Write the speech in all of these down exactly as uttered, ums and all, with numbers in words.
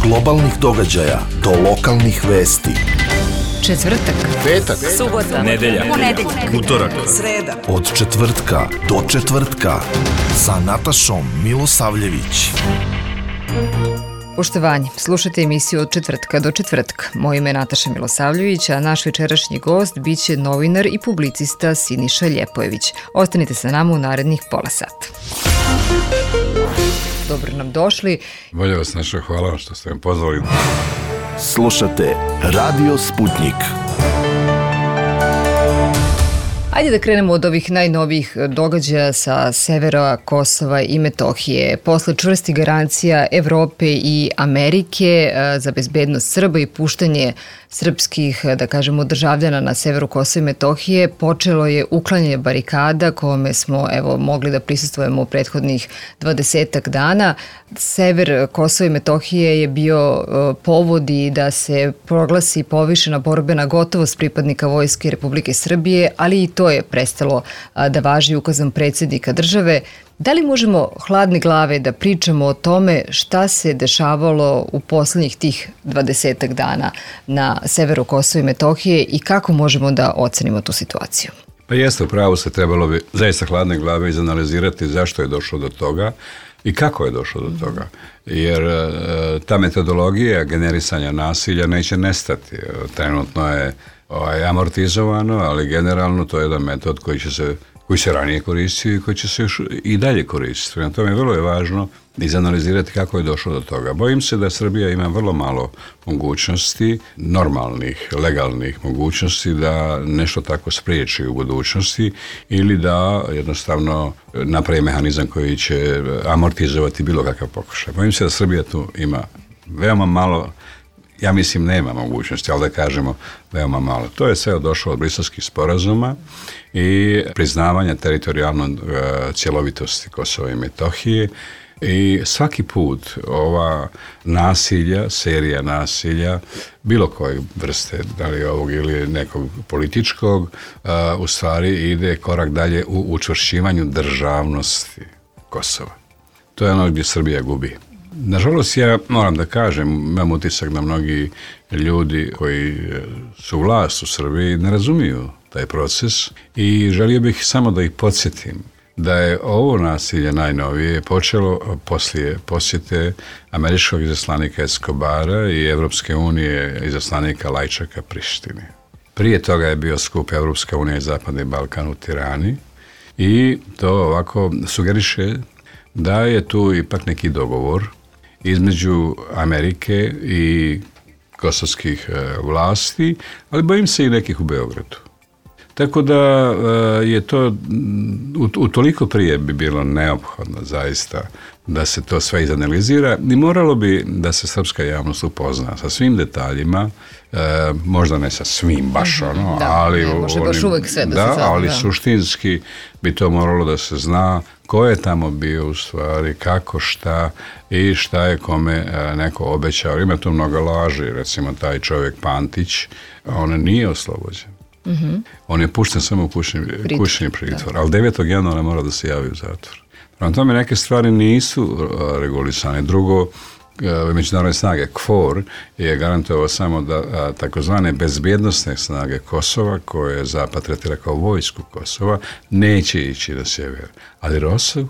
globalnih događaja do lokalnih vesti. Četvrtak, petak, subota, nedelja, ponedeljak, utorak, sreda. Od četvrtka do četvrtka sa Natašom Milosavljević. Poštovanje, slušajte emisiju Od četvrtka do četvrtka. Moje ime je Nataša Milosavljević, a naš večerašnji gost biće novinar i publicista Siniša Ljepojević. Ostanite sa nama u narednih pola sata. Dobro nam došli. Bolje vas našao, hvala vam što ste me pozvali. Slušate Radio Sputnik. Ajde da krenemo od ovih najnovijih događaja sa severa Kosova i Metohije. Posle čvrsti garancija Evrope i Amerike za bezbednost Srba i puštanje srpskih, da kažemo, državljana na severu Kosova i Metohije, počelo je uklanjanje barikada kome smo evo mogli da prisustvujemo u prethodnih dvadesetak dana. Sever Kosova i Metohije je bio povod i da se proglasi povišena borbena gotovost pripadnika Vojske Republike Srbije, ali i to je prestalo da važi ukazom predsjednika države. Da li možemo hladne glave da pričamo o tome šta se dešavalo u poslednjih tih dvadesetak dana na severu Kosova i Metohije i kako možemo da ocenimo tu situaciju? Pa jeste, u pravu se, trebalo bi zaista hladne glave izanalizirati zašto je došlo do toga i kako je došlo do toga. Jer e, ta metodologija generisanja nasilja neće nestati. Trenutno je ovaj, amortizovano, ali generalno to je jedan metod koji će se koji se ranije koristio i koji će se još i dalje koristiti. Prema tome, vrlo je važno izanalizirati kako je došlo do toga. Bojim se da Srbija ima vrlo malo mogućnosti, normalnih, legalnih mogućnosti da nešto tako spriječi u budućnosti ili da jednostavno napravi mehanizam koji će amortizovati bilo kakav pokušaj. Bojim se da Srbija tu ima veoma malo, ja mislim nema mogućnosti, ali da kažemo veoma malo. To je sve došlo od briselskih sporazuma i priznavanja teritorijalne cjelovitosti Kosova i Metohije i svaki put ova nasilja, serija nasilja, bilo koje vrste, da li ovog ili nekog političkog, u stvari ide korak dalje u učvršćivanju državnosti Kosova. To je ono gdje Srbija gubi. Nažalost, ja moram da kažem, imam utisak da mnogi ljudi koji su vlast u Srbiji ne razumiju taj proces i želio bih samo da ih podsjetim da je ovo nasilje najnovije počelo poslije posjete američkog izaslanika Escobara i Evropske unije izaslanika Lajčaka Prištini. Prije toga je bio skup Evropska unija i Zapadni Balkan u Tirani i to ovako sugeriše da je tu ipak neki dogovor između Amerike i kosovskih vlasti, ali bojim se i nekih u Beogradu. Tako da je to utoliko prije bi bilo neophodno zaista da se to sve izanalizira i moralo bi da se srpska javnost upozna sa svim detaljima, e, možda ne sa svim baš ono, da, ali, ne, može baš uvek sve da, da se zna, ali da. Suštinski bi to moralo da se zna ko je tamo bio u stvari, kako, šta i šta je kome neko obećao. Ima tu mnogo laži, recimo taj čovjek Pantić, on nije oslobođen. Mm-hmm. On je pušten samo u kućni, kućni pritvor, ali devetog januara mora da se javi u zatvor. Prema tome neke stvari nisu regulisane. Drugo, međunarodne snage K F O R je garantovao samo da takozvane bezbjednostne snage Kosova, koje je Zapad tretira kao vojsku Kosova, neće ići na sjever. Ali Rosov,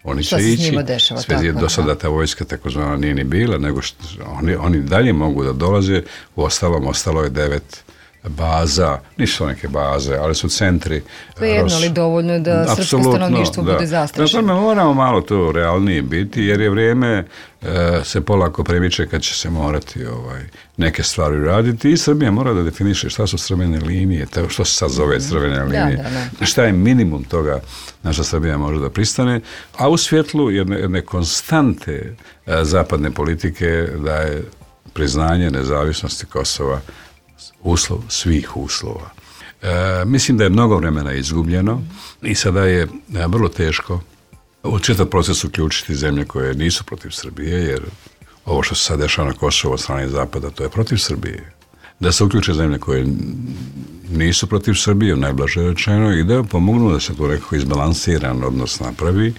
oni će ići. Sve je do sada ta vojska takozvana nije ni bila, nego što oni, oni dalje mogu da dolaze. U ostalom, ostalo je devet baza, nisu neke baze, ali su centri. To je jedno, ali dovoljno je da srpsko stanovništvo bude zastrašeno. Dakle, moramo malo to realnije biti, jer je vrijeme e, se polako premiče kad će se morati ovaj, neke stvari raditi i Srbija mora da definiše šta su crvene linije, to što se sad zove crvene linije, da, da, da. Šta je minimum toga naša Srbija može da pristane, a u svjetlu jedne, jedne konstante e, zapadne politike da je priznanje nezavisnosti Kosova uslov svih uslova. E, mislim da je mnogo vremena izgubljeno i sada je vrlo teško u čitav proces uključiti zemlje koje nisu protiv Srbije, jer ovo što se sad dešava na Kosovo od strane Zapada, to je protiv Srbije. Da se uključe zemlje koje nisu protiv Srbije, najblaže rečeno, i da pomognu da se to nekako izbalansiran odnos napravi.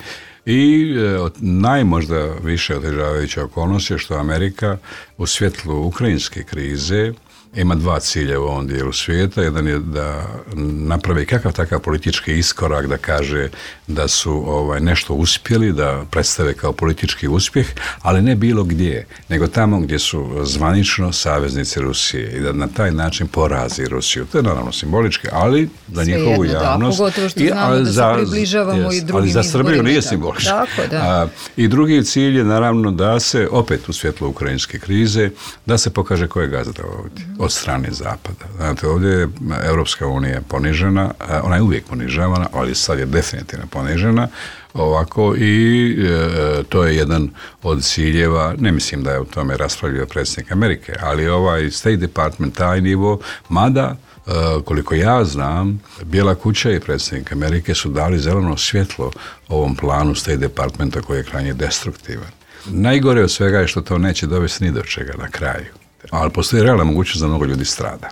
I e, najmožda više otežavajuća okolnost je što Amerika u svjetlu ukrajinske krize ima dva cilja u ovom dijelu svijeta. Jedan je da napravi kakav takav politički iskorak, da kaže da su ovaj, nešto uspjeli, da predstave kao politički uspjeh, ali ne bilo gdje, nego tamo gdje su zvanično saveznici Rusije i da na taj način porazi Rusiju. To je naravno simbolički, ali za sve njihovu jedno, javnost. Da, pogotovo što znamo I, da se približavamo yes, i drugim ali za Srbiju nije tako. simbolički. Tako, da. A, I drugi cilj je naravno da se, opet u svjetlu ukrajinske krize, da se pokaže ko je gazda ovdje, od strane Zapada. Znate, ovdje je Europska unija ponižena, ona je uvijek ponižavana, ali sad je definitivno ponižena, ovako i e, to je jedan od ciljeva, ne mislim da je u tome raspravljao predsjednik Amerike, ali ovaj State Department, taj nivo, mada e, koliko ja znam, Bijela kuća i predsjednik Amerike su dali zeleno svjetlo ovom planu State Departmenta koji je krajnje destruktivan. Najgore od svega je što to neće dovesti ni do čega na kraju. Ali postoji realna mogućnost da mnogo ljudi strada.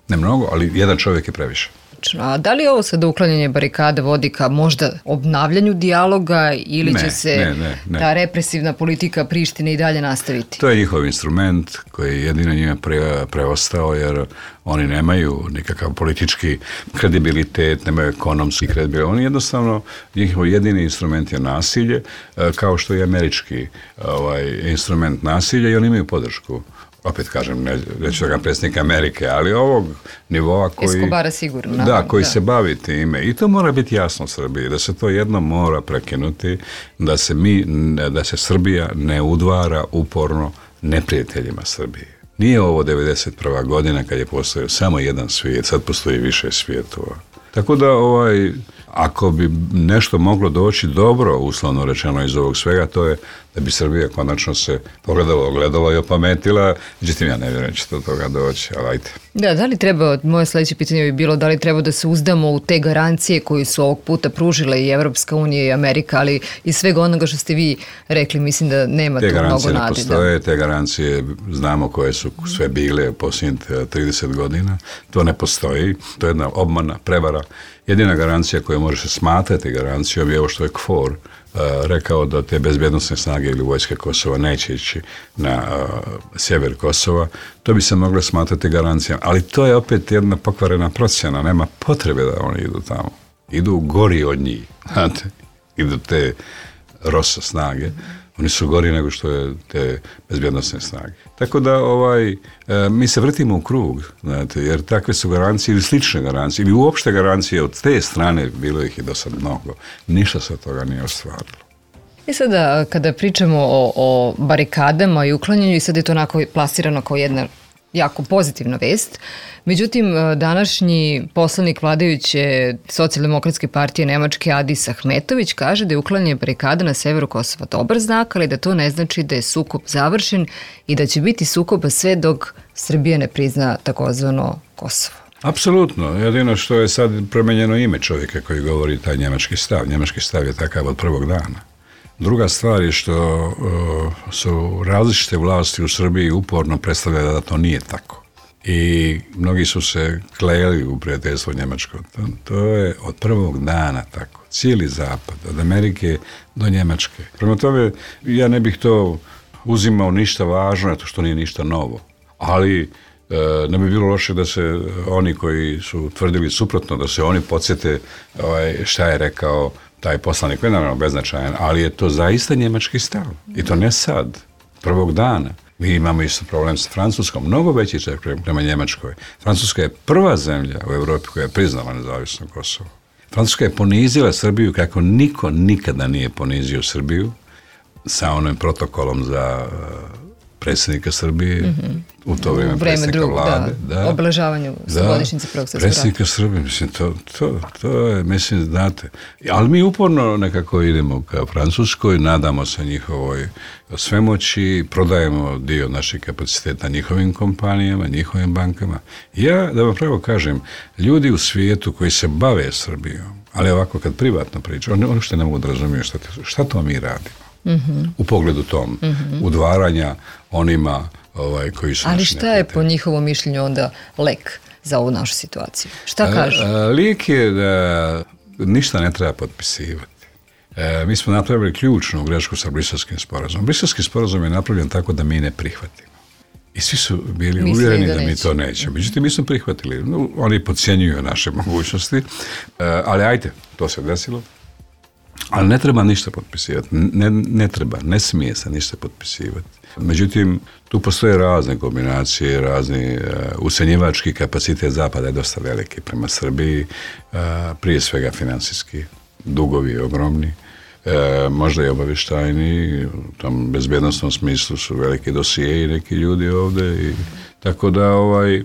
Ne mnogo, ali jedan čovjek je previše. A da li ovo sada uklanjanje barikade vodi ka možda obnavljanju dijaloga ili ne, će se ne, ne, ne. ta represivna politika Prištine i dalje nastaviti? To je njihov instrument koji je jedino njima pre, preostao, jer oni nemaju nikakav politički kredibilitet, nemaju ekonomski kredibilitet. Oni jednostavno, njihov jedini instrument je nasilje, kao što je američki ovaj, instrument nasilja i oni imaju podršku. Opet kažem, ne, neću da ga predsjednik Amerike, ali ovog nivoa koji, Escobara sigurno, da, naravno, koji da. se bavi time. I to mora biti jasno Srbiji, da se to jedno mora prekinuti, da se, mi, da se Srbija ne udvara uporno neprijateljima Srbije. Nije ovo devedeset prva godina kad je postojao samo jedan svijet, sad postoji više svijetova. Tako da, ovaj, ako bi nešto moglo doći dobro, uslovno rečeno iz ovog svega, to je da bi Srbija konačno se pogledala, ogledala i opametila. Međutim, ja ne vjerujem će do toga doći, ali ajde. Da, da li treba, moje sljedeće pitanje bi bilo, da li treba da se uzdamo u te garancije koje su ovog puta pružile i Evropska unija i Amerika, ali iz svega onoga što ste vi rekli, mislim da nema te tu mnogo nade. Te garancije ne postoje, te garancije znamo koje su sve bile posljednjih trideset godina. To ne postoji, to je jedna obmana, prevara. Jedina garancija koju može se smatrati garancijom je ovo što je K F O R uh, rekao da te bezbjednosne snage ili vojske Kosova neće ići na uh, sjever Kosova. To bi se moglo smatrati garancijom. Ali to je opet jedna pokvarena procjena. Nema potrebe da oni idu tamo. Idu gori od njih. Znate? Idu te ROSA snage. Oni su gori nego što je te bezbjednosne snage. Tako da ovaj, e, mi se vrtimo u krug, znate, jer takve su garancije ili slične garancije, ili uopšte garancije od te strane, bilo ih i do sad mnogo, ništa se od toga nije ostvarilo. I sada, kada pričamo o, o barikadama i uklanjanju, i sad je to onako plasirano kao jedna jako pozitivna vest. Međutim, današnji poslanik vladajuće socijaldemokratske partije Nemačke Adis Ahmetović kaže da je uklanjanje barikada na severu Kosova dobar znak, ali da to ne znači da je sukob završen i da će biti sukoba sve dok Srbija ne prizna takozvano Kosovo. Apsolutno. Jedino što je sad promijenjeno ime čovjeka koji govori taj njemački stav. Njemački stav je takav od prvog dana. Druga stvar je što uh, su različite vlasti u Srbiji uporno predstavljaju da to nije tako. I mnogi su se klejali u prijateljstvo Njemačko. To, to je od prvog dana tako. Cijeli zapad, od Amerike do Njemačke. Prema tome, ja ne bih to uzimao ništa važno, to što nije ništa novo. Ali uh, ne bi bilo loše da se oni koji su tvrdili suprotno, da se oni podsjete ovaj, šta je rekao taj poslanik, je naravno beznačajan, ali je to zaista njemački stav. I to ne sad, prvog dana. Mi imamo isto problem sa Francuskom, mnogo veći čak prema Njemačkoj. Francuska je prva zemlja u Europi koja je priznala nezavisno Kosovo. Francuska je ponizila Srbiju kako niko nikada nije ponizio Srbiju sa onim protokolom za predsjednika Srbije, mm-hmm. u to vrijeme, vreme predsjednika drug, vlade. Da, da, obeležavanju da, godišnjice Prvog svjetskog rata. Predsjednika Srbije, mislim, to, to, to je, mislim, znate. Ali mi uporno nekako idemo ka Francuskoj, nadamo se njihovoj svemoći, prodajemo dio naših kapaciteta njihovim kompanijama, njihovim bankama. Ja, da vam pravo kažem, ljudi u svijetu koji se bave Srbijom, ali ovako kad privatno pričaju, oni uopšte ne mogu da razumiju šta, šta to mi radimo. Mm-hmm. U pogledu tom, mm-hmm. udvaranja onima ovaj, koji su... Ali šta je po njihovom mišljenju onda lek za ovu našu situaciju? Šta kažu? Lijek je da ništa ne treba potpisivati. E, mi smo napravili ključnu grešku sa Briselskim sporazumom. Briselski sporazum je napravljen tako da mi ne prihvatimo. I svi su bili Mislili uvjereni da da, mi neće. to nećemo. Međutim, mi smo prihvatili. No, oni podcjenjuju naše mogućnosti, e, ali ajde, to se desilo. Ali ne treba ništa potpisivati. Ne, ne treba, ne smije se ništa potpisivati. Međutim, tu postoje razne kombinacije, razni uh, ucjenjivački kapacitet Zapada je dosta veliki prema Srbiji, uh, prije svega financijski, dugovi ogromni, uh, možda i obavještajni, u tom bezbjednostnom smislu su veliki dosijeji neki ljudi ovdje, i tako da ovaj...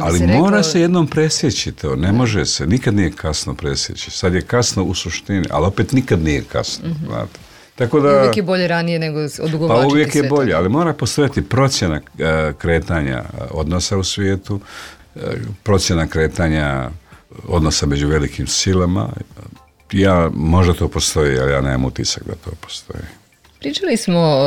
Ali rekao... mora se jednom presjeći to, ne može se, nikad nije kasno presjeći. Sad je kasno u suštini, ali opet nikad nije kasno. Mm-hmm. Znate. Tako da, uvijek je bolje ranije nego odugovlačiti sve. Pa uvijek je to. bolje, ali mora postojati procjena uh, kretanja odnosa u svijetu, uh, procjena kretanja odnosa među velikim silama. Ja, možda to postoji, ali ja nemam utisak da to postoji. Pričali smo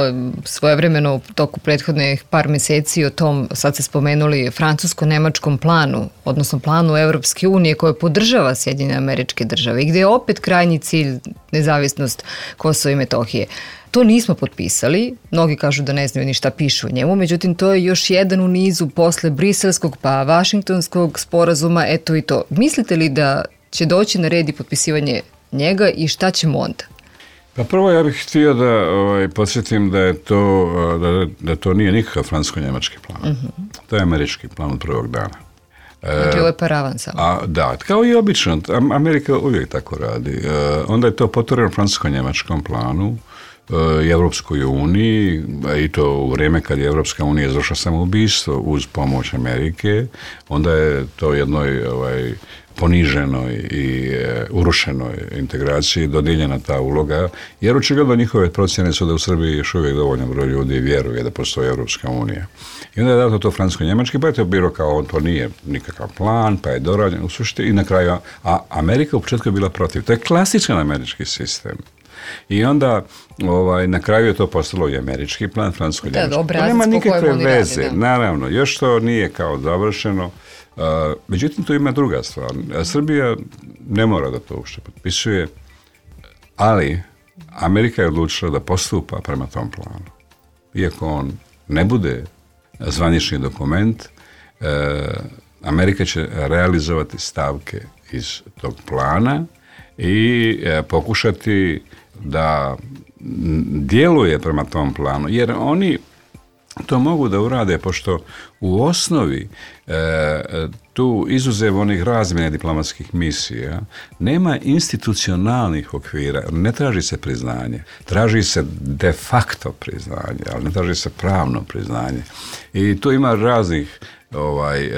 svojevremeno u toku prethodnih par mjeseci o tom, sad ste spomenuli, francusko-nemačkom planu, odnosno planu Europske unije koje podržava Sjedinjene Američke Države i gdje je opet krajnji cilj nezavisnost Kosova i Metohije. To nismo potpisali, mnogi kažu da ne znaju ni šta pišu o njemu, međutim to je još jedan u nizu posle briselskog pa vašingtonskog sporazuma, eto i to. Mislite li da će doći na red i potpisivanje njega i šta ćemo onda? Pa prvo ja bih htio da ovaj, podsjetim da je to, da, da to nije nikakav francusko-njemački plan. Mm-hmm. To je američki plan od prvog dana. Znači ovo je paravan samo. A, da, kao i obično, Amerika uvijek tako radi. E, onda je to potvoreno francusko-njemačkom planu i Evropskoj uniji, i to u vrijeme kad je Evropska unija izvršila samoubistvo uz pomoć Amerike, onda je to jednoj ovaj, poniženoj i e, urušenoj integraciji dodijeljena ta uloga, jer očigledno njihove procjene su da u Srbiji još uvijek dovoljno broj ljudi vjeruje da postoji Evropska unija. I onda je dato to francusko-njemački, pa je to bilo kao on, to nije nikakav plan, pa je dorađen u suštini i na kraju, a Amerika u početku je bila protiv. To je klasičan američki sistem. I onda ovaj, na kraju je to postalo i američki plan, francusko-njemački. Da, nema nikakve veze, radi, naravno, još to nije kao završeno. Uh, međutim, to ima druga stvar. Srbija ne mora da to uopšte potpisuje, ali Amerika je odlučila da postupa prema tom planu. Iako on ne bude zvanični dokument, uh, Amerika će realizovati stavke iz tog plana i uh, pokušati da djeluje prema tom planu, jer oni to mogu da urade, pošto u osnovi e, tu izuzev onih razmjene diplomatskih misija nema institucionalnih okvira, ne traži se priznanje, traži se de facto priznanje, ali ne traži se pravno priznanje. I tu ima raznih ovaj, e,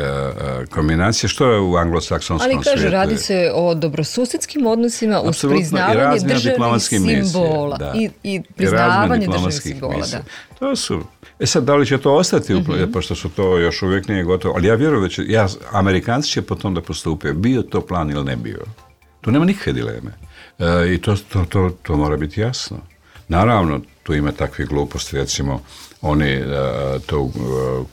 kombinacije, što je u anglosaksonskom svijetu. Ali kaže, radi se o dobrosusjedskim odnosima uz priznavanje državnih simbola da. i, i priznavanje I državnih simbola. Da. To su, e sad, da li će to ostati, mm-hmm. pošto su to još uvijek nije gotovo, ali ja vjerujem da će, ja, Amerikanci će po tom da postupe, bio to plan ili ne bio. Tu nema nikakve dileme. E, I to, to, to, to mora biti jasno. Naravno, tu ima takvih gluposti, recimo, oni uh, tu uh,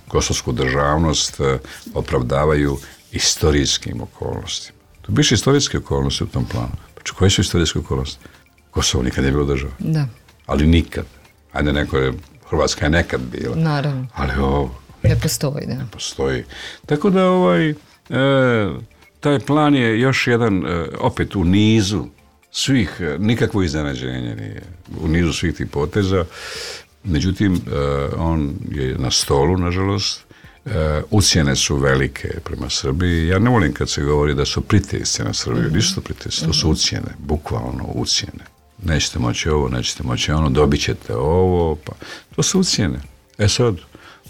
kosovsku državnost uh, opravdavaju istorijskim okolnostima. Tu biše istorijske okolnosti u tom planu. Pa koje su istorijske okolnosti? Kosovo nikad nije bilo država. Da. Ali nikad. Ajde, neko je, Hrvatska je nekad bila. Naravno. Ali ovo ne postoji, da. Ne postoji. Tako da ovaj, e, taj plan je još jedan, e, opet u nizu svih, nikakvo iznenađenje nije, u nizu svih tih poteza. Međutim, uh, on je na stolu, nažalost. Uh, ucjene su velike prema Srbiji. Ja ne volim kad se govori da su pritisci na Srbiju. Mm-hmm. Nisu to pritisci, to su ucjene, bukvalno ucjene. Nećete moći ovo, nećete moći ono, dobit ćete ovo. Pa. To su ucjene. E sad,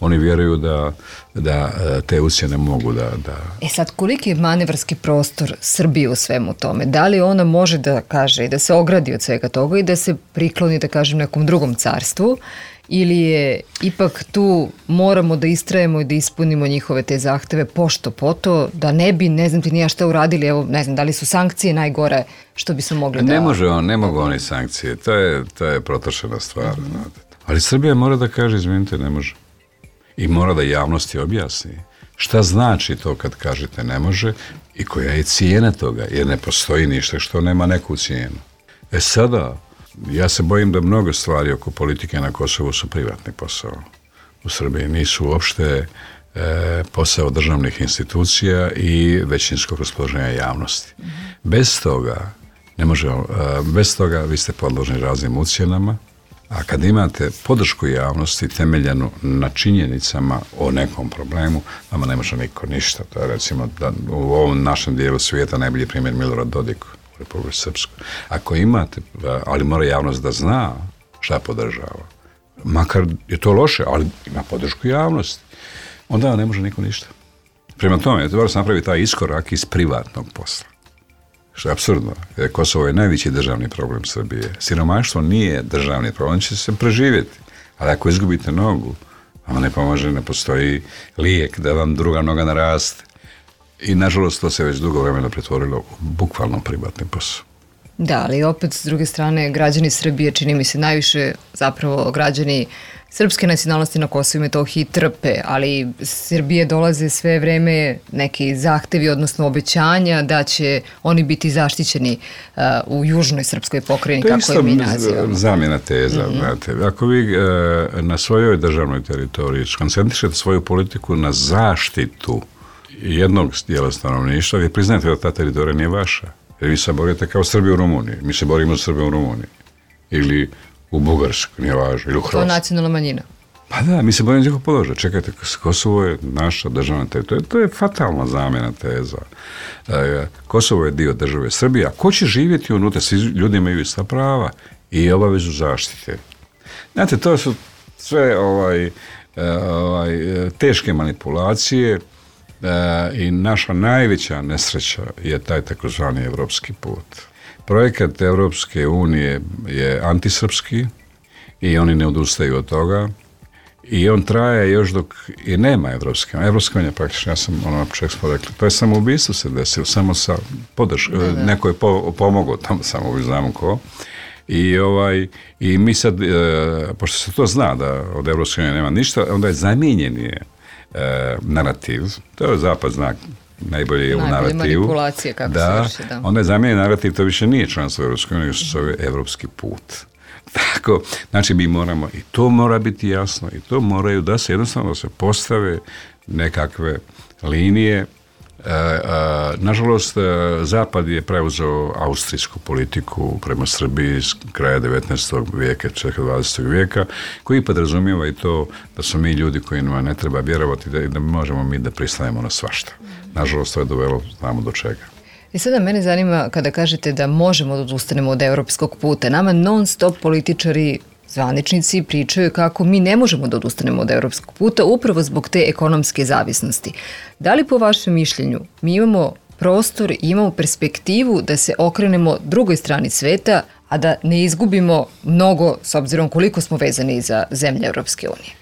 oni vjeruju da, da te ucjene mogu da, da... E sad, koliki je manevarski prostor Srbije u svemu tome? Da li ona može da kaže i da se ogradi od svega toga i da se prikloni, da kažem, nekom drugom carstvu, ili je ipak tu moramo da istrajemo i da ispunimo njihove te zahteve pošto poto, da ne bi, ne znam ti nija šta uradili, evo, ne znam, da li su sankcije najgore što bi se mogli da... Ne može on, ne mogu oni sankcije, to je, to je protočena stvar. Mm-hmm. Ali Srbija mora da kaže, izvinite, ne može. I mora da javnosti objasni šta znači to kad kažete ne može i koja je cijena toga, jer ne postoji ništa što nema neku cijenu. E sada, Ja se bojim da mnogo stvari oko politike na Kosovu su privatni posao. U Srbiji nisu uopšte e, posao državnih institucija i većinskog raspoloženja javnosti. Bez toga, ne može, e, bez toga vi ste podložni raznim ucjenama, a kad imate podršku javnosti temeljenu na činjenicama o nekom problemu, vama ne može niko ništa. To je recimo da u ovom našem dijelu svijeta najbolji primjer Milorad Dodik u Republici Srpskoj. Ako imate, ali mora javnost da zna šta podržava, makar je to loše, ali ima podršku javnosti, onda ne može niko ništa. Prema tome, treba se napravi taj iskorak iz privatnog posla. Što je apsurdno. Kosovo je najveći državni problem Srbije. Siromaštvo nije državni problem, on će se preživjeti. Ali ako izgubite nogu, vam ne pomaže, ne postoji lijek da vam druga noga naraste. I nažalost to se već dugo vremena pretvorilo u bukvalno privatni posao. Da, ali opet s druge strane građani Srbije, čini mi se najviše zapravo građani srpske nacionalnosti na Kosovu i Metohiji trpe, ali Srbije dolaze sve vreme neki zahtevi, odnosno obećanja da će oni biti zaštićeni uh, u južnoj srpskoj pokrajini, kako je mi nazivamo. To je zamjena teza. Mm-hmm. Znate. Ako vi uh, na svojoj državnoj teritoriji koncentrišete svoju politiku na zaštitu jednog dijela stanovništva, vi priznajete da ta teritorija nije vaša. Jer vi se borite kao Srbi u Rumuniji. Mi se borimo za Srbe u Rumuniji. Ili u Bugarsku, nije važno. Ili u Hrvatsku. To je nacionalna manjina. Pa da, mi se borimo za njihov položaj. Čekajte, Kosovo je naša državna teritorija. To je fatalna zamjena teza. E, Kosovo je dio države Srbije. A ko će živjeti unutra? Svi ljudi imaju ista prava i obavezu zaštite. Znate, to su sve ovaj, ovaj, teške manipulacije. E, i naša najveća nesreća je taj takozvani evropski put. Projekat Evropske unije je antisrpski i oni ne odustaju od toga i on traje još dok i nema Evropske unije. Evropska unija praktično, ja sam ono na početku smo rekli, to je samoubistvo se desilo, samo sa podrškom, neko je po, pomogao tamo samoubistvo, znamo ko. I, ovaj, i mi sad, e, pošto se to zna da od Evropske unije nema ništa, onda je zamijenjen je E, narativ, to je zapad znak najbolje je u narativu. Manipulacije kako da, se vrši, da. Onda je zamijenjen narativ, to više nije članstvo Evropske unije, nego se zove evropski put. Tako, znači mi moramo, i to mora biti jasno, i to moraju da se jednostavno da se postave nekakve linije. E, a, nažalost, Zapad je preuzeo austrijsku politiku prema Srbiji s kraja devetnaestog vijeka, početka dvadesetog vijeka, koji podrazumijeva i to da su mi ljudi kojima ne treba vjerovati da, da možemo mi da pristanemo na svašta. Nažalost, to je dovelo znamo do čega. I sada mene zanima kada kažete da možemo da odustanemo od evropskog puta. Nama non stop političari, zvaničnici pričaju kako mi ne možemo da odustanemo od evropskog puta upravo zbog te ekonomske zavisnosti. Da li po vašem mišljenju mi imamo prostor i imamo perspektivu da se okrenemo drugoj strani sveta, a da ne izgubimo mnogo s obzirom koliko smo vezani za zemlje Evropske unije?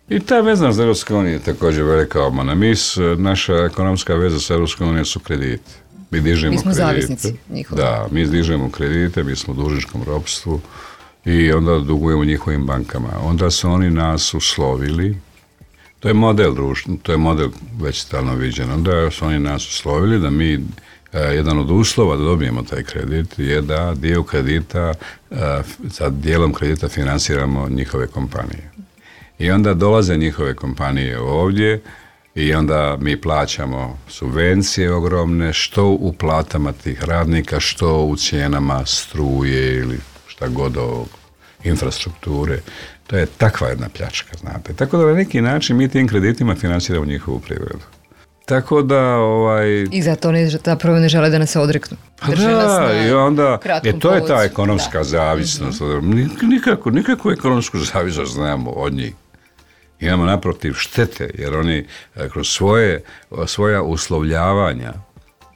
I ta vezanost za Evropske unije je također velika obmana. Mi, naša ekonomska veza sa Evropskom unijom su krediti. Mi dižemo mi smo kredite. Zavisnici njihovi. Da, mi dižemo kredite, mi smo u dužničkom ropstvu i onda dugujemo njihovim bankama. Onda su oni nas uslovili, to je model društva, to je model već stalno viđen, onda su oni nas uslovili da mi, eh, jedan od uslova da dobijemo taj kredit je da dio kredita, eh, sa dijelom kredita finansiramo njihove kompanije. I onda dolaze njihove kompanije ovdje i onda mi plaćamo subvencije ogromne, što u platama tih radnika, što u cijenama struje ili šta god ovog infrastrukture. To je takva jedna pljačka, znate. Tako da na neki način mi tim kreditima finansiramo njihovu privredu. Tako da, ovaj... I zato oni zapravo ne žele da nas se odreknu. Drže da, nas na i onda, e, to je ta ekonomska da. zavisnost. Mm-hmm. Nikako, nikako ekonomsku zavisnost znamo od njih. Imamo naprotiv štete, jer oni kroz svoje, svoja uslovljavanja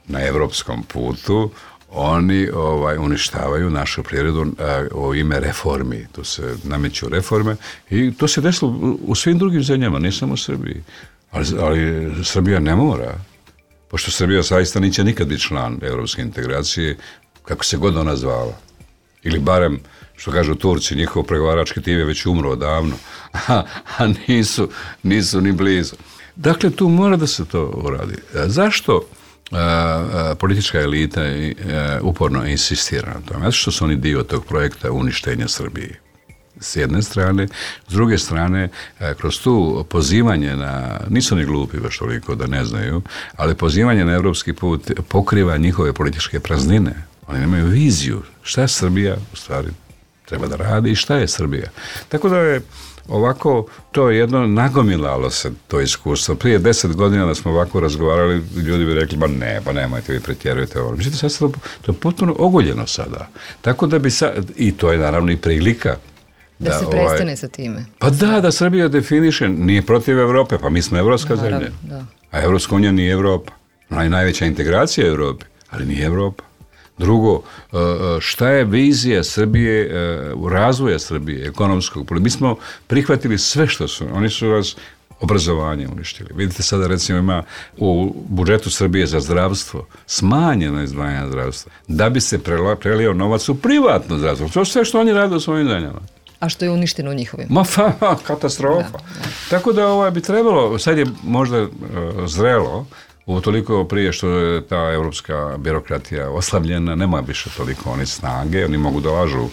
na evropskom putu, oni ovaj, uništavaju našu privredu u ime reformi. Tu se nameću reforme i to se desilo u, u svim drugim zemljama, ne samo u Srbiji. Ali, ali Srbija ne mora, pošto Srbija zaista neće nikad biti član evropske integracije, kako se god ona zvala. Ili barem, što kažu Turci, njihov pregovarački tim je već umro odavno, a, a nisu, nisu ni blizu. Dakle, tu mora da se to uradi. Zašto a, a, politička elita i, a, uporno insistira na tome. Zato što su oni dio tog projekta uništenja Srbije. S jedne strane, s druge strane, kroz tu pozivanje na, nisu ni glupi baš toliko da ne znaju, ali pozivanje na evropski put pokriva njihove političke praznine. Oni nemaju viziju šta je Srbija u stvari treba da radi i šta je Srbija. Tako da je ovako to jedno nagomilalo se to iskustvo. Prije deset godina da smo ovako razgovarali, ljudi bi rekli, ba ne, pa nemojte, vi pretjerujete ovo. Mislite, sad to, to je potpuno ogoljeno sada. Tako da bi sad, i to je naravno i prilika Da, da se prestane ovaj, sa time. Pa da, da Srbija definiše, nije protiv Evrope, pa mi smo evropska Naravno, zemlja. Da. A Evropska unija nije Evropa. Ona je najveća integracija Evrope, ali nije Evropa. Drugo, šta je vizija Srbije, razvoja Srbije, ekonomskog? Mi smo prihvatili sve što su, oni su vas obrazovanje uništili. Vidite sada recimo ima u budžetu Srbije za zdravstvo smanjeno izdvajanje zdravstva, da bi se prelio novac u privatno zdravstvo. To je sve što oni rade u svojim zemljama. A što je uništeno u njihovim? Ma fa, katastrofa. Da, da. Tako da ovaj, bi trebalo, sad je možda uh, zrelo, utoliko prije što je ta evropska birokratija oslavljena, nema više toliko oni snage, oni mogu da lažu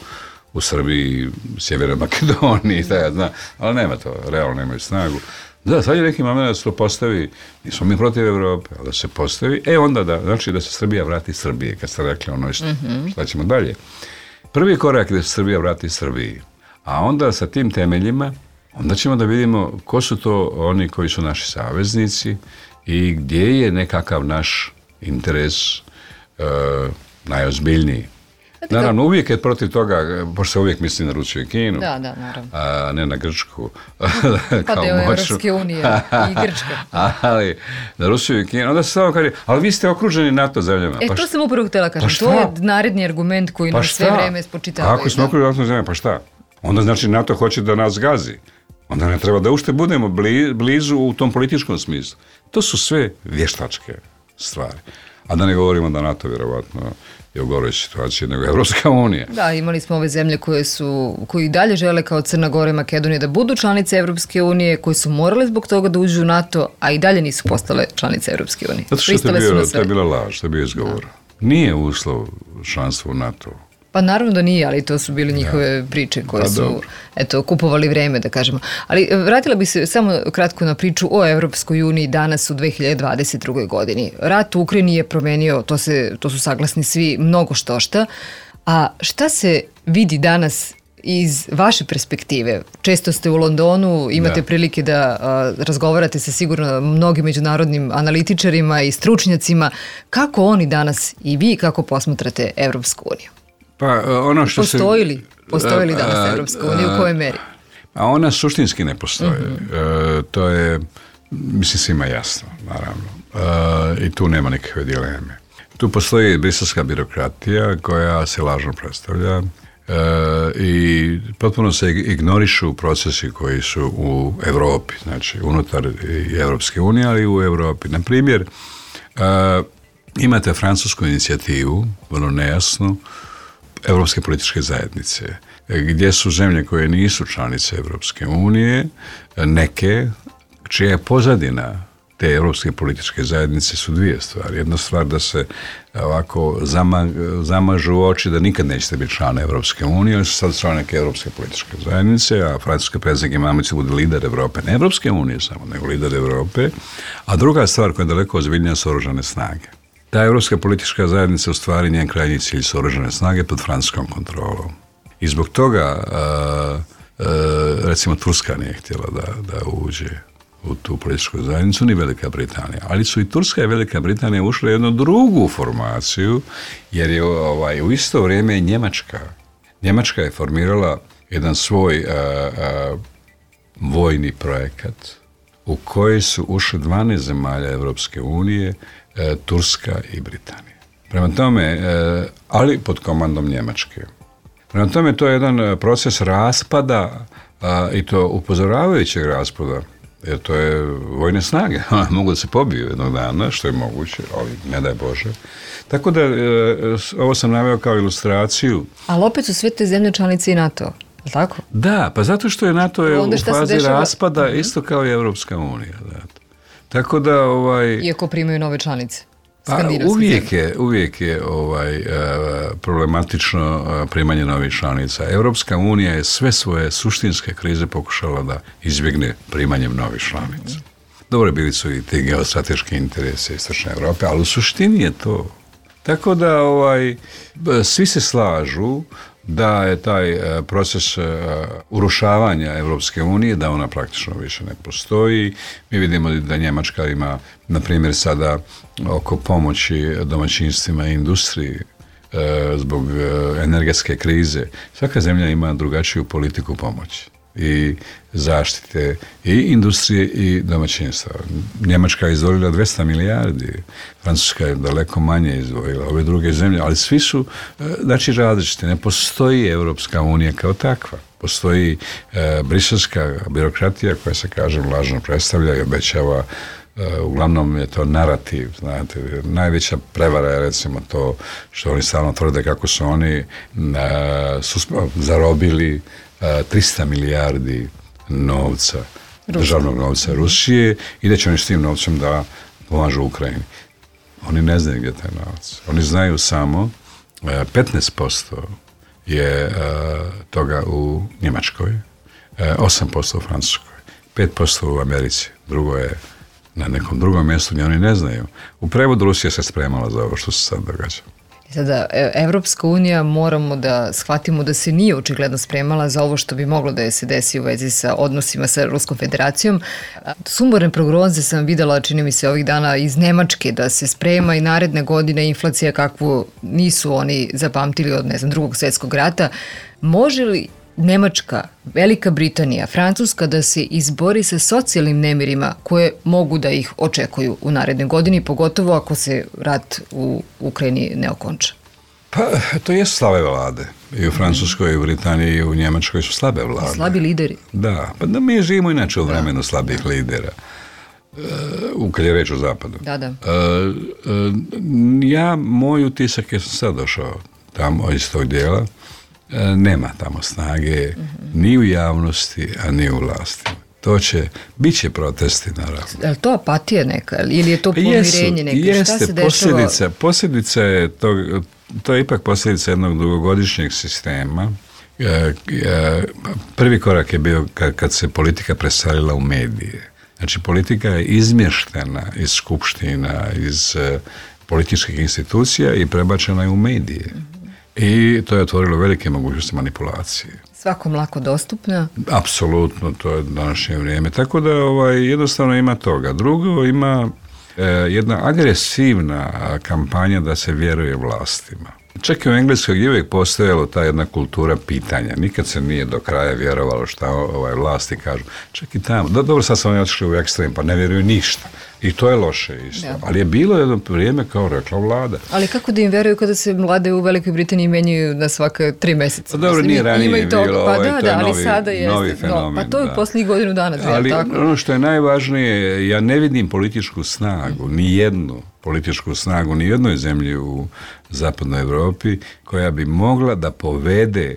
u Srbiji, Sjevernoj Makedoniji, taj, zna, ali nema to, realno nemaju snagu. Da, sad je neki moment da se to postavi, nismo mi protiv Evrope, ali da se postavi, e onda da, znači da se Srbija vrati Srbije, kad ste rekli ono isto, mm-hmm. šta ćemo dalje. Prvi korak je da se Srbija vrati Srbiji, a onda sa tim temeljima, onda ćemo da vidimo ko su to oni koji su naši saveznici i gdje je nekakav naš interes e, najozbiljniji. Naravno, uvijek je protiv toga, pošto se uvijek misli na Rusiju i Kinu, da, da, naravno. A ne na Grčku. Pa deo Evropske unije i Grčke. Ali na Rusiju i Kinu, onda se samo kaže, ali vi ste okruženi NATO zemljama. E, pa to sam upravo htjela kažem, pa to je naredni argument koji pa nam sve vreme spočitavaju. Ako smo okruženi NATO zemljama, pa šta? Onda znači NATO hoće da nas gazi. Onda ne treba da ušte budemo blizu u tom političkom smislu. To su sve vještačke stvari. A da ne govorimo da NATO vjerovatno je u goroj situaciji nego Evropska unija. Da, imali smo ove zemlje koje su, koji dalje žele kao Crna Gora i Makedonija da budu članice Evropske unije, koje su morale zbog toga da uđu u NATO, a i dalje nisu postale članice Evropske unije. Zato što je, bio, to je bila laž, to je bio izgovor. Da. Nije uslov članstva u NATO. Pa naravno da nije, ali to su bile njihove ja. priče koje pa, su dobro. eto, kupovali vreme, da kažemo. Ali vratila bi se samo kratko na priču o Evropskoj uniji danas u dve hiljade dvadeset drugoj. godini. Rat u Ukrajini je promenio, to, se, to su saglasni svi, mnogo štošta. A šta se vidi danas iz vaše perspektive? Često ste u Londonu, imate da. prilike da a, razgovarate sa sigurno mnogim međunarodnim analitičarima i stručnjacima. Kako oni danas i vi kako posmatrate Evropsku uniju? Pa ono što postoji li, postoji li danas Evropska unija, u kojoj meri? A ona suštinski ne postoji. Mm-hmm. E, to je, mislim, svima jasno, naravno. E, I tu nema nikakve dileme. Tu postoji briselska birokratija koja se lažno predstavlja e, i potpuno se ignorišu procesi koji su u Evropi, znači unutar i Evropske unije, ali i u Evropi. Na primjer, e, imate francusku inicijativu, vrlo nejasnu, Evropske političke zajednice, gdje su zemlje koje nisu članice Evropske unije, neke čija je pozadina te Evropske političke zajednice su dvije stvari. Jedna stvar da se ovako zama, zamažu oči da nikad nećete biti član Evropske unije, ali su sad član neke Evropske političke zajednice, a francuski predsjednik Emmanuel Macron bude lider Evrope, ne Evropske unije samo, nego lider Evrope. A druga stvar koja je daleko ozbiljnija su oružane snage. Ta Evropska politička zajednica u stvari njen krajnji cilj su oružane snage pod francuskom kontrolom. I zbog toga uh, uh, recimo Turska nije htjela da, da uđe u tu političku zajednicu, ni Velika Britanija. Ali su i Turska i Velika Britanija ušle u jednu drugu formaciju, jer je ovaj, u isto vrijeme Njemačka. Njemačka je formirala jedan svoj uh, uh, vojni projekat u koji su ušle dvanaest zemalja Evropske unije, Turska i Britanija. Prema tome, ali pod komandom Njemačke. Prema tome, to je jedan proces raspada i to upozoravajućeg raspada, jer to je vojne snage. Mogu da se pobiju jednog dana, što je moguće, ali ne daj Bože. Tako da, ovo sam naveo kao ilustraciju. Ali opet su sve te zemlje članice i NATO, je tako? Da, pa zato što je NATO je u fazi raspada, uh-huh. isto kao i Evropska unija. Da. Tako da, ovaj... Iako primaju nove članice. skandinavskih uvijek zemlja? je, uvijek je ovaj, uh, problematično uh, primanje novih članica. Europska unija je sve svoje suštinske krize pokušala da izbjegne primanjem novih članica. Dobro, bili su i ti geostrateški interesi Istočne Europe, ali u suštini je to. Tako da ovaj, svi se slažu da je taj uh, proces uh, urušavanja Evropske unije, da ona praktično više ne postoji. Mi vidimo da Njemačka ima, na primjer, sada oko pomoći domaćinstvima i industriji uh, zbog uh, energetske krize. Svaka zemlja ima drugačiju politiku pomoći i zaštite i industrije i domaćinstva. Njemačka je izdvojila dvesta milijardi, Francuska je daleko manje izdvojila, ove druge zemlje, ali svi su, znači, različiti. Ne postoji Evropska unija kao takva. Postoji e, briselska birokratija koja se, kažem, lažno predstavlja i obećava. E, uglavnom je to narativ, znate. Najveća prevara je, recimo, to što oni stalno tvrde kako su oni e, su zarobili trista milijardi novca, Ruska. državnog novca Rusije i da će oni s tim novcem da pomažu Ukrajini. Oni ne znaju gdje je taj novac. Oni znaju samo petnaest posto je toga u Njemačkoj, osam posto u Francuskoj, pet posto u Americi, drugo je na nekom drugom mjestu gdje oni ne znaju. U prevodu Rusija se spremala za ovo što se sad događa. Sada, Evropska unija, moramo da shvatimo da se nije očigledno spremala za ovo što bi moglo da je se desi u vezi sa odnosima sa Ruskom federacijom. Sumorne prognoze sam videla, čini mi se, ovih dana iz Nemačke, da se sprema i naredne godine inflacija kakvu nisu oni zapamtili od, ne znam, drugog svjetskog rata. Može li Nemačka, Velika Britanija, Francuska da se izbori sa socijalnim nemirima koje mogu da ih očekuju u narednoj godini, pogotovo ako se rat u Ukrajini ne okonča? Pa, to je slabe vlade. I u Francuskoj, i u Britaniji, i u Njemačkoj su slabe vlade. Slabi lideri. Da, pa da mi živimo inače u vremenu slabih lidera. Uh, kad je reč o zapadu. Da, da. Uh, uh, ja, moj utisak je sam sad došao tamo iz tog dijela. Nema tamo snage, mm-hmm. ni u javnosti, a ni u vlasti. To će, bit će protesti, naravno. Je li to apatija neka, ili je to pomirenje neka? Jeste, šta se posljedica, dešava? posljedica je to, to je ipak posljedica jednog dugogodišnjeg sistema. Prvi korak je bio kad, kad se politika preselila u medije. Znači, politika je izmještena iz skupština, iz uh, političkih institucija i prebačena je u medije. Mm-hmm. I to je otvorilo velike mogućnosti manipulacije. Svakom lako dostupna? Apsolutno, to je današnje vrijeme. Tako da ovaj, jednostavno ima toga. Drugo, ima e, jedna agresivna kampanja da se vjeruje vlastima. Čak i u Engleskoj je uvijek postojala ta jedna kultura pitanja. Nikad se nije do kraja vjerovalo šta ovaj, vlasti kažu. Čak i tamo. Do, dobro, sad sam oni otišli u ekstrem, pa ne vjeruju ništa. I to je loše isto. Da. Ali je bilo jedno vrijeme, kao rekla vlada. Ali kako da im vjeruju kada se vlade u Velikoj Britaniji menjaju na svaka tri mjeseca? Pa dobro, nije ranije bilo, pa ovaj, da, to je da, novi, ali sada jeste, novi fenomen. No, pa to je da. posljednjih godinu dana. Ali tako? Ono što je najvažnije, ja ne vidim političku snagu, mm. ni jednu političku snagu, ni jednoj zemlji u zapadnoj Europi koja bi mogla da povede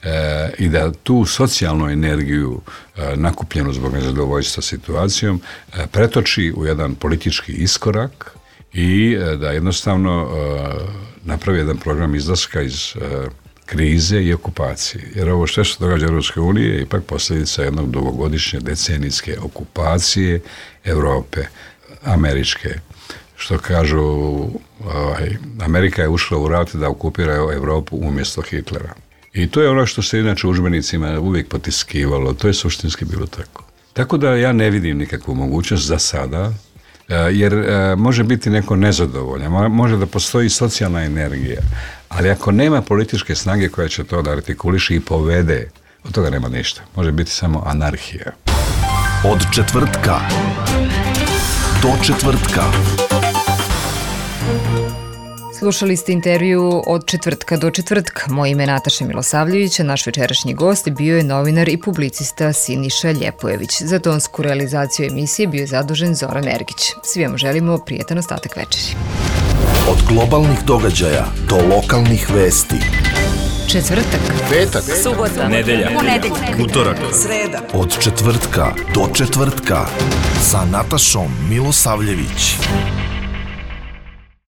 E, i da tu socijalnu energiju e, nakupljenu zbog nezadovoljstva situacijom e, pretoči u jedan politički iskorak i e, da jednostavno e, napravi jedan program izlaska iz e, krize i okupacije. Jer ovo što se događa u Europskoj uniji je ipak posljedica jednog dugogodišnje decenijske okupacije Europe, američke. Što kažu, ovaj, Amerika je ušla u rat da okupira Europu umjesto Hitlera. I to je ono što se inače u udžbenicima uvijek potiskivalo, to je suštinski bilo tako. Tako da ja ne vidim nikakvu mogućnost za sada, jer može biti neko nezadovoljan, može da postoji socijalna energija, ali ako nema političke snage koja će to da artikuliše i povede, od toga nema ništa. Može biti samo anarhija. Od četvrtka do četvrtka. Slušali ste intervju Od četvrtka do četvrtka. Moje ime je Nataša Milosavljević, a naš večerašnji gost bio je novinar i publicista Siniša Ljepojević. Za tonsku realizaciju emisije bio je zadužen Zoran Ergić. Svi vam želimo prijetan ostatak večeri. Od globalnih događaja do lokalnih vesti. Četvrtak, petak, subota, nedelja, ponedeljak, utorak, sreda. Od četvrtka do četvrtka sa Natašom Milosavljević.